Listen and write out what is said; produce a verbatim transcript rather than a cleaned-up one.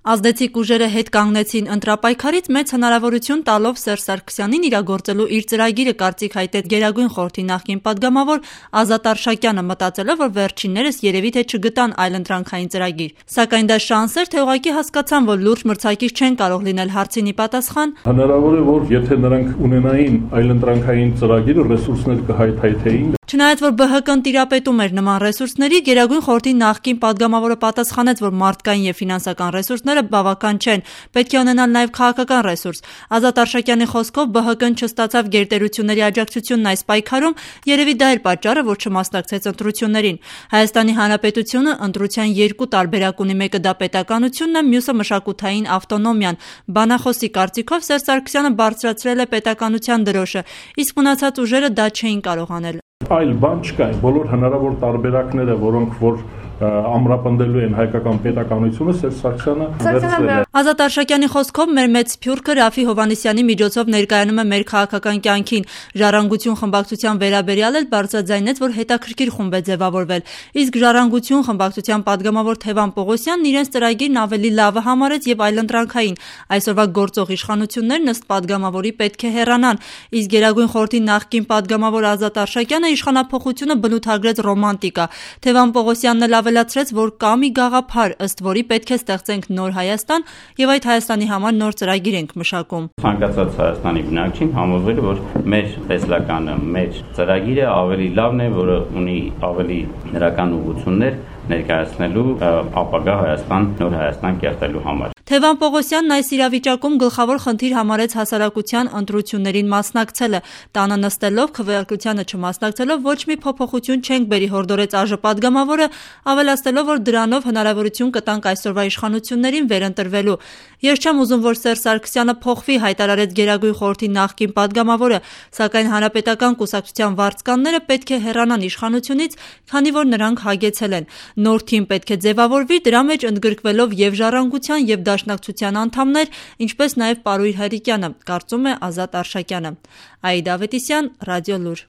Ազդեցիկ ուժերը հետ կանգնեցին ընտրապայքարից մեծ հնարավորություն տալով Սերժ Սարգսյանին իրագործելու իր ծրագիրը, կարծիք հայտեց Գերագույն խորհրդի նախկին պատգամավոր Ազատ Արշակյանը, մտածելով, որ վերջիններս երևի թե չգտան այլընտրանքային ծրագիր։ Սակայն դա շանս էր, թե ուղղակի հասկացան, որ լուրջ մրցակից չեն կարող լինել, հարցին ի պատասխան. Հնարավոր է, որ եթե նրանք ունենային այլընտրանքային ծրագիր, ռեսուրսներ կհայթայթեին։ Չնայած որ ԲՀԿ-ն տիրապետում էր նման ռեսուրսների, Գերագույն խորհրդի նախկին պատգամավորը պատասխանեց, որ մարդկային եւ ֆինանսական ռեսուրսները բավական չեն, պետք է ունենալ նաեւ քաղաքական ռեսուրս։ Ազատ Արշակյանի խոսքով ԲՀԿ-ն չստացավ գերտերությունների աջակցությունն այս պայքարում, երևի դա էր պատճառը, որ չմասնակցեց ընտրություններին։ Հայաստանի Հանրապետությունը ընտրության երկու տարբերակ ունի, մեկը դա պետականությունն է, մյուսը մշակութային ավտոնոմիան։ Բանախոսի կարծիքով Սերժ Սարգսյանը բարձրացրել է պետականության դրոշը, իսկ մնացած ուժերը դա չէին կարող անել։ Այլ բան չկա, բոլոր հնարավոր տարբերակները, որոնք որ ամրապնդելու են հայկական պետականությունը, Սերժ Սարգսյանը վերցրել է։ Ազատ Արշակյանի խոսքով մեր մեծ սփյուռքը Ռաֆի Հովհաննիսյանի միջոցով ներկայանում է մեր քաղաքական կյանքին։ Ժառանգություն խմբակցության վերաբերյալ էլ բարձրաձայնեց, որ հետաքրքիր խումբ է ձևավորվել, իսկ Ժառանգություն խմբակցության պատգամավոր Թևան Պողոսյանն իրենց ծրագիրն ավելի լավը համարեց եւ այլընտրանքային։ Այսօրվա գործող իշխանություններն ըստ պատգամավորի պետք է հեռանան, իսկ Գերագույն խորհրդի նախկին պատգամավոր Ազատ Արշակյանը իշխանափոխությունը բնութագրեց ռոմանտիկա։ Թևան Պողոսյանն էլ ավելացրեց, որ կա մի գաղափար, ըստ որի պետք է ստեղծենք նոր Հայաստան եւ այդ Հայաստանի համար նոր ծրագիր ենք մշակում։ Ցանկացած Հայաստանի բնակչին համոզվել, որ մեր տեսլականը, մեր ծրագիրը ավելի լավն է, որը ունի ավելի դրական ուղղություններ ներկայացնելու ապագա Հայաստան, նոր Հայաստան կերտելու համար։ Թևան Պողոսյանն այս իրավիճակում գլխավոր խնդիր համարեց հասարակության ընտրություններին մասնակցելը։ Տանը նստելով, քվեարկությանը չմասնակցելով ոչ մի փոփոխություն չենք բերի, հորդորեց ԱԺ պատգամավորը, ավելացնելով, որ դրանով հնարավորություն կտանք այսօրվա իշխանություններին վերընտրվելու։ Ես չեմ ուզում, որ Սերժ Սարգսյանը փոխվի, հայտարարեց Գերագույն խորհրդի նախկին պատգամավորը, սակայն Հանրապետական կուսակցության վարձկանները պետք է հեռանան իշխանությունից, քանի որ նրանք հագեցել են։ Նոր թիմ պետք է ձևավորվի, դրա մեջ ընդգրկվելով եւ Ժառանգության եւ Դաշնակցության անդամներ, ինչպես նաեւ Պարույր Հայրիկյանը, կարծում է Ազատ Արշակյանը։ Աիդա Ավետիսյան, Ռադիոլուր։